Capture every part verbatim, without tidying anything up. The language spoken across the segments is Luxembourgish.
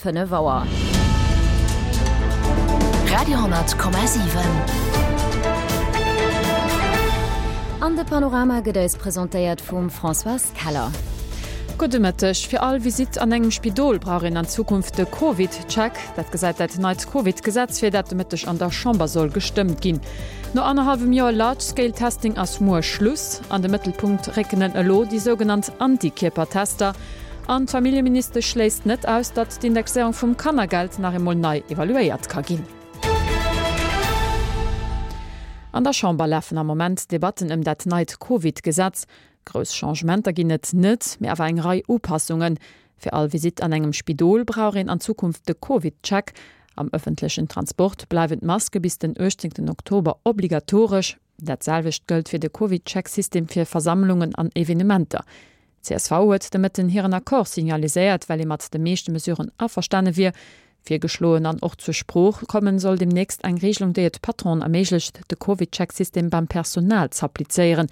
fënnef Auer. Radio honnert Komma siwen. An de Panorama gëtt eis presentéiert vum Françoise Keller. Gudde Mëtteg. Fir all Visitt an engem Spidol brauch een an Zukunft de Covid-Check. Dat gesäit dat neit Covid-Gesetz vir, dat de Mëtteg an der Chamber soll gestëmmt ginn. No annerhallwem Joer Large-Scale-Testing ass muer Schluss. An de Mëttelpunkt récken elo déi sougenannt Antikierpertester. An d'Familljeministesch schléisst net aus, datt d'Indexéierung vum Kannergeld nach eemol nei evaluéiert ka ginn. An der Chamber lafen am Moment d'Debatten ëm dat neit Covid-Gesetz. Grouss Changementer ginn et net, mee awer eng Rei Upassungen. Fir all Visitt an engem Spidol brauch een an Zukunft de Covid-Check. Am ëffentlechen Transport bleiwen d'Maske bis den uechtzéngten Oktober obligatoresch. Dat selwecht gëllt fir de Covid-Check-System fir Versammlungen an Evenementer. Csv huet de Mëtten hiren Accord signaliséiert, well ee mat de meeschte Mesuren averstane wier. Virgeschloen an och zur Sprooch kommen soll demnächst eng Regelung, déi et Patronen erméiglecht, de Covid-Check-System beim Personal z'applizéieren.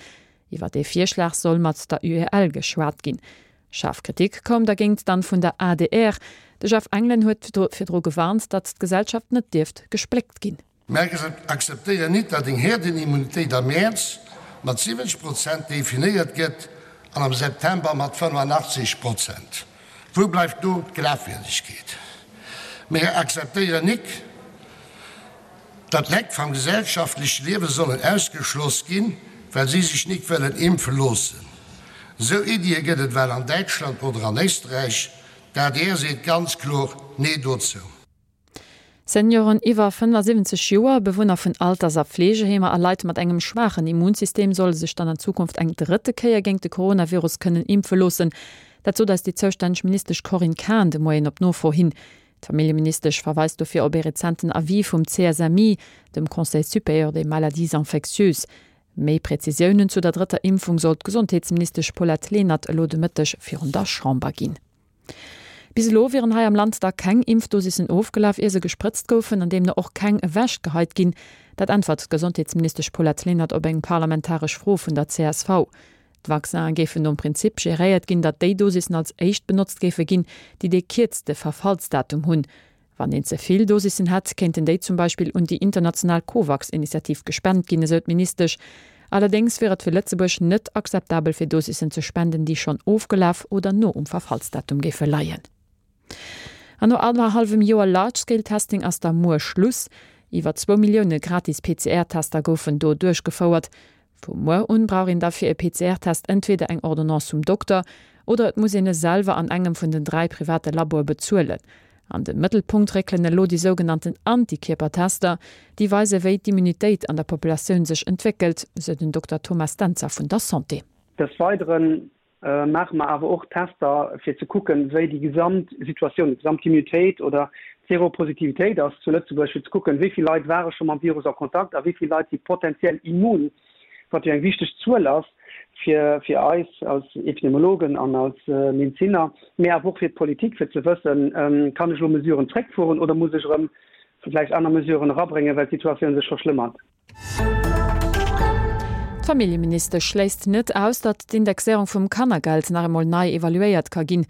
Iwwer dee Virschlag soll mat der U E L geschwat ginn. Schaarf Kritik koum dergéint dann vun der A D R. De Jeff Engelen huet virdru gewarnt, datt d'Gesellschaft net dierft gespléckt ginn. Mär akzeptéieren nit, datt eng Herdenimmunitéit am Mäerz mat siwwenzeg Prozent definéiert gëtt an am September mat fënnefenachtzeg Prozent. Wou bleift do d'Glafwierdegkeet? Mär akzeptéieren nik, datt Leit vam gesellschaftleche Liewe sollen ausgeschloss ginn, well si sech nik wëllen impfe loossen. Esou Iddie gëtt et well an Däitschland oder an Éisträich. D'A D R seet ganz kloer Nee dozou. Senioren iwwer fënnefasiwwenzeg Joer, Bewunner vun Alters a Fleegeheemer a Leit mat engem schwaachen Immunsystem solle sech dann an Zukunft eng drëtte Kéier géint de Coronavirus kënnen impfe loossen. Dat sot eis déi zoustänneg Ministesch Corinne Cahen de Moien op Nofro hin. D'Familljeministesch verweist dofir op ee rezenten Avis vum C S M I, dem Conseil supérieur des maladies infectieuses. Méi Präzisiounen zu der drëtter Impfung soll d'Gesondheetsministesch Paulette Lenert elo de Mëtteg virun der Chamber ginn. Bis elo wieren hei am Land da keng Impfdosissen ofgelaf, ier se gesprëtzt goufen, an deemno och keng ewechgeheit ginn. Dat äntwert d'Gesondheetsministesch Paulette Lenert op eng parlamentaresch Fro vun der C S V. D'Vaccinen géifen nom Prinzip geréiert ginn, datt déi Dosissen als éischt benotzt géife ginn, déi dee kierzte Verfallsdatum hunn. Wann een ze vill Dosissen hätt, kéinten déi zum Beispill un déi international Covax-Initiativ gespent ginn, esou d'Ministesch. Allerdéngs wier et fir Lëtzebuerg net akzeptabel fir Dosissen ze spenden, déi schonn ofgelaf oder no um Verfallsdatum géife leien. An no annerhallwem Joer Large-Scale-Testing ass da muer Schluss. Iwwer zwou Millioune gratis P C R-Tester goufen do duerchgefouert. Vu muer un brauch een da fir e P C R-Test entweder eng Ordonnance vum Dokter oder et muss een e selwer an engem vun den dräi private Laboe bezuelen. An de Mëttelpunkt réckelen elo déi sougenannten Antikierpertester, déi weise wéi d'Immunitéit an der Populatioun sech entwéckelt, sou den Dokter Thomas Dentzer vun der Santé. Des Weideren maache mer awer och Tester fir ze kucken, wéi déi gesamt Situatioun, déi gesamt Immunitéit oder d'Seropositivitéit ass zu Lëtzebuerg, fir ze kucken, wéi vill Leit ware scho mam Virus a Kontakt a wéi vill Leit si potenziell immun, wat jo eng wichteg Zuel ass fir fir eis als Epidemiologen an als Medeziner, mee awer och fir d'Politik, fir ze wëssen, kann ech elo Mesuren zréckfueren oder muss ech erëm vläicht aner Mesuren erabréngen, well d'Situatioun sech verschlëmmert. D'Familljeministesch schléisst net aus, datt d'Indexéierung vum Kannergeld nach emol nei evaluéiert ka ginn.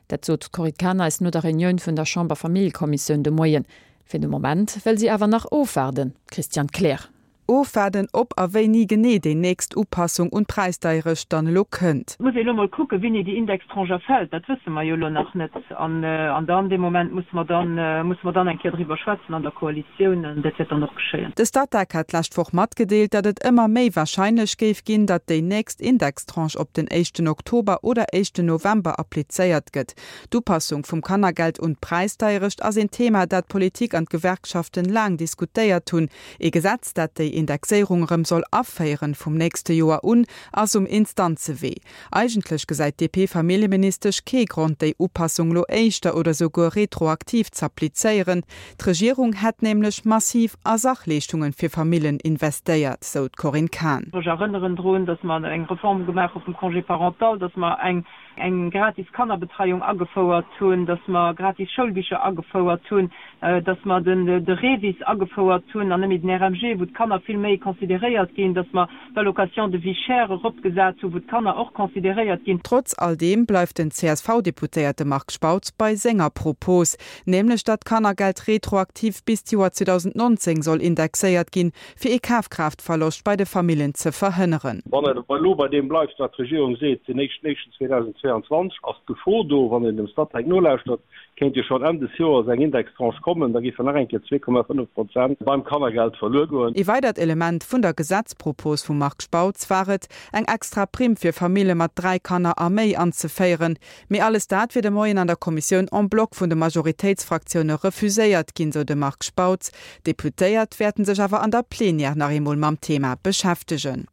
Dat sot d'Corinne Cahen eis no der Reunioun vun der Chamber-Familljekommissioun de Moien. Fir de Moment wëll si awer nach ofwaarden. Christiane Kleer. Ofwaarden, ob a wéini genee déi nächst Upassung un d'Präisdeierecht dann elo kënnt. Et muss ee elo mol kucken, wéini déi Indextranche erfält. Dat wësse mer jo elo nach net. An dann, dee Moment musse mer dann, musse mer dann eng Kéier driwwer schwätzen an der Koalitioun. An dat wäert dann och geschéien. De Statec hat d'lescht Woch matgedeelt, datt et ëmmer méi warscheinlech géif ginn, datt déi nächst Indextranche op den éischten Oktober oder éischten November applizéiert gëtt. D'Upassung vum Kannergeld un d'Präisdeierecht ass een Thema, dat d'Politik an d'Gewerkschaften laang diskutéiert hunn. Ee Gesetz, dat déi Indexéierung erëm soll aféieren vum nächste Joer un, ass um Instanzewee. Eigentlech gesäit d'D P-Familljeministesch kee Grond, déi Upassung lo éischter oder souguer retroaktiv z'applizéieren. D'Regierung hätt nämlech massiv a Sachleeschtungen fir Famillen investéiert, sou d'Corinne Cahen. Ech erënneren drun, datt mer eng Reform gemaach hu vum Congé parental, datt mer eng eng gratis Kannerbetreiung agefouert hunn, dass mer gratis Schoulbicher agefouert hunn, dass mer den de REVIS agefouert hunn an net méi den RMG, wou d'Kanner vill méi consideréiert ginn, dass mer d'Allocation de vie chère eropgesat hunn, wou d'Kanner och consideréiert ginn. Trotz all deem bleift den CSV-Deputéierte Marc Spautz bei senger Propos, nämlech datt d'Kannergeld retroaktiv bis d'Joer zweedausendnonzéng soll indexéiert ginn, fir ee Kafkraaftverloscht bei de Famillen ze verhënneren. Wann et elo bei deem bleift, wat d'Regierung seet, den éischten éischten zweedausendzweeanzwanzeg ass d'Gefor do, wann een dem Statec nolauschtert, kéint jo schonn Enn des Joers eng Indextranche kommen, da géifen nach eng Kéier zwee Komma fënnef Prozent beim Kannergeld verluer goen. Ee weidert Element vun der Gesetzpropos vum Marc Spautz war et, eng extra Primm fir Famille mat dräi Kanner a méi anzeféieren. Mee alles dat wier de Moien an der Kommissioun en bloc vun de Majoritéitsfraktioune refuséiert ginn, sou de Marc Spautz. D'Deputéiert wäerten sech awer an der Plenière nach eemol mam Thema beschäftegen.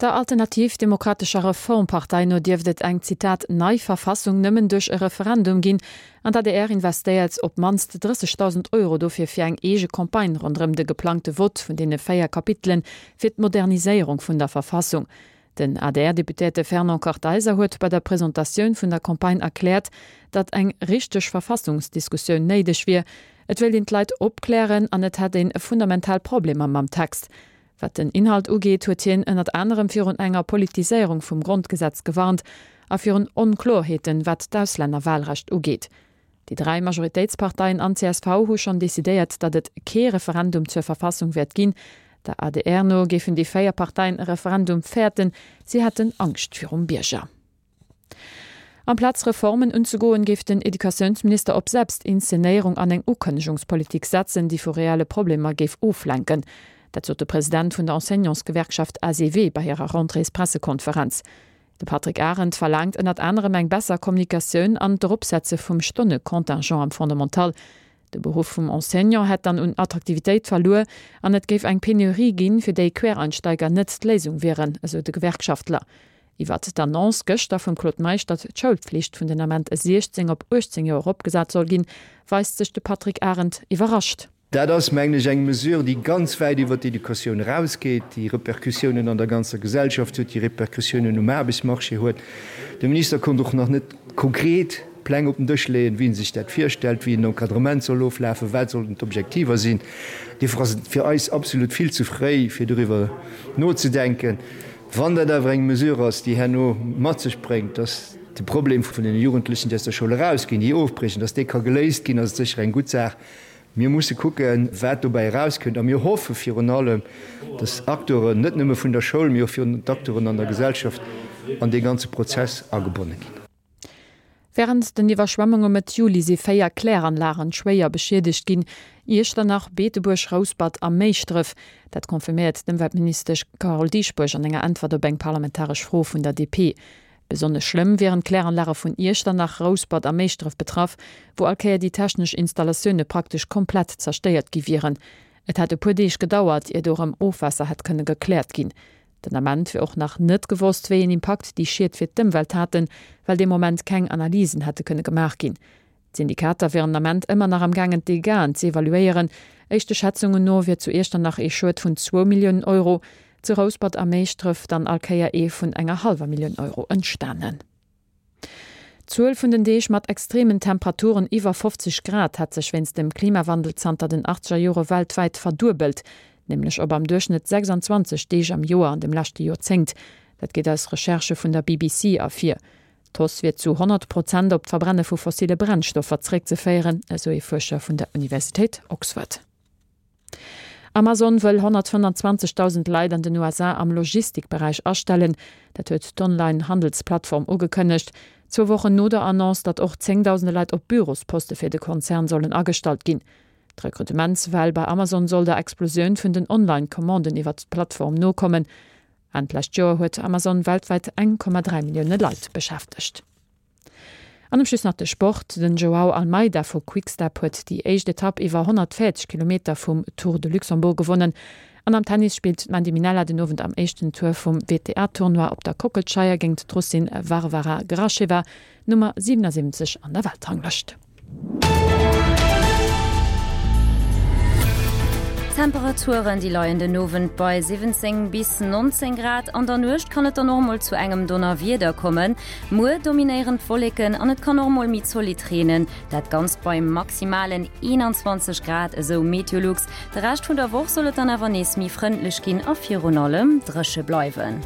Der Alternativ Demokratescher Reformpartei no dierft et eng, Zitat, nei Verfassung nëmmen duerch e Referendum ginn an d'ADR investéiert op d'mannst drëssegdausend Euro dofir fir eng eege Campagne ronderëm de geplangte Vott vun deene véier Kapitelen fir d'Moderniséierung vun der Verfassung. Den A D R-Deputéierte Fernand Kartheiser huet bei der Presentatioun vun der Campagne erkläert, datt eng richteg Verfassungsdiskussioun néideg wier, et wéilt een d'Leit opklären an et hätt een fundamental Problemer mam Text. Wat den Inhalt ugeet, huet hien ënnert anerem virun enger Politiséierung vum Grondgesetz gewarnt a virun Onkloerheeten, wat d'Auslännerwahlrecht ugeet. Déi dräi Majoritéitsparteien an csv hu schonn decidéiert, datt et kee Referendum zur Verfassung wäert ginn. Der A D R no géifen déi véier Parteien e Referendum fäerten, si hätten Angscht virum Bierger. Amplaz Reformen unzegoen, géif den Educatiounsminister op Selbstinszenéierung an eng Ukënnegungspolitik setzen, déi vu reelle Problemer géif oflenken. Dat sot de President vun der Enseignantsgewerkschaft A S E W bei hirer Rentréespressekonferenz. De Patrick Arendt verlaangt ënnert anerem eng besser Kommunikatioun an d'Eropsetze vum Stonnecontingent am Fondamental. De Beruff vum Enseignant hätt dann un Attraktivitéit verluer an et géif eng Penurie ginn, fir déi Quereinsteiger net d'Léisung wieren, esou de Gewerkschaftler. Iwwert d'Annonce gëschter vum Claude Meisch, datt d'Schoulpflicht vun den Ament siechzéng op uechtzéng Joer eropgesat soll ginn, weist sech de Patrick Arendt iwwerrascht. Dat ass, mengen ech, eng Mesure, déi ganz wäit iwwert d'Educatioun erausgeet, déi Repercussiounen an der ganzer Gesellschaft huet, déi Repercussiounen um Aarbechtsmarché huet. De Minister konnt och nach net konkret Pläng op den Dësch leeën, wéi en sech dat virstellt, wéi en Encadrement soll oflafen, wat sollten d'Objektiver sinn. Duerfir ass et fir eis absolut vill ze fréi, fir doriwwer nozedenken. Wann dat awer eng Mesure ass, déi herno mat sech bréngt, dass de Problem vun den Jugendlechen, déi aus der Schoul erausginn, déi ofbriechen, dass dee ka geléist ginn, ass et sécher eng gutt Saach. Mir musse kucken, wat dobäi erauskënnt, a mir hoffe virun allem, dass Acteuren, net nëmme vun der Schoul, mee och virun d'Acteuren an der Gesellschaft an dee ganze Prozess agebonne ginn. Wärend den Iwwerschwemmunge Mëtt Juli si véier Kläranlagen schwéier beschiedegt ginn, Iechternach, Beetebuerg, Rouspert a Méischdref. Dat confirméiert d'Ëmweltministesch Carole Dieschbourg an enger Äntwert op eng parlamentaresch Fro vun der D P. Besonnesch schlëmm wieren d'Kläranlage vun Iechternach, Rouspert a Méischdref betraff, wou all Kéier déi technesch Installatioune praktesch komplett zerstéiert gi wieren. Et hätt e puer Deeg gedauert, ier do erëm Ofwaasser hätt kënne gekläert ginn. Den Ament wier och nach net gewosst, wéi een Impakt déi Schied fir d'Ëmwelt haten, well dee Moment keng Analysen hätte kënne gemaach ginn. D'Syndikater wieren den Ament ëmmer nach am gaangen d'Dégâten ze evaluéieren. Éischte Schätzungen no wier zu Iechternach ee Schued vun zwou Milliounen Euro, zu Rouspert a Méischdref dann all Kéier ee vun enger hallwer Millioun Euro entstanen. D'Zuel vun den Deeg mat extremen Temperaturen iwwer fofzeg Grad hat sech wéinst dem Klimawandel zanter den achtzeger Jore weltwäit verduebelt, nämlech op am Duerchschnëtt sechsanzwanzeg Deeg am Joer an dem leschte Joerzéngt. Dat geet aus Recherchë vun der B B C ervir. D'Hausse wier zu honnert Prozent op d'Verbrenne vu fossille Brennstoffer zeréckzeféieren, esou ee Fuerscher vun der Universitéit Oxford. Amazon wëll honnertfënnfanzwanzegdausend Leit an den U S A am Logistikberäich astellen. Dat huet d'Online-Handelsplattform ugekënnegt. Zwou Wochen no der Annonce, datt och zéngdausende Leit op Bürosposte fir de Konzern sollen agestallt ginn. D'Rekrutementswell bei Amazon soll der Explosioun vun den Online-Commanden iwwer d'Plattform nokommen. Enn d'lescht Joer huet Amazon weltwäit eng Komma dräi Millioune Leit beschäftegt. An um Schluss nach de Sport, Den Joao Almeida vu Quick-Step huet déi éischt Etapp iwwer honnertvéierzeg Kilometer vum Tour de Luxembourg gewonnen. An am Tennis spillt d'Mandy Minella den Owend am éischten Tour vum W T A-Tournoi op der Kockelscheier géint d'Russin Varvara Gracheva, Nummer siwenasiwwenzeg an der Weltranglëscht. D'Temperaturen, déi leien den Owend bei siwwenzéng bis nonzéng Grad. An der Nuecht kann et dann och mol zu engem Donnerwieder kommen. Muer dominéieren d'Wolleken an et kann och mol méi zolidd reenen. Dat Ganzt bei maximalen eenanzwanzeg Grad, esou Meteolux. De Rescht vun der Woch soll et dann awer nees méi frëndlech ginn a virun allem dréche bleiwen.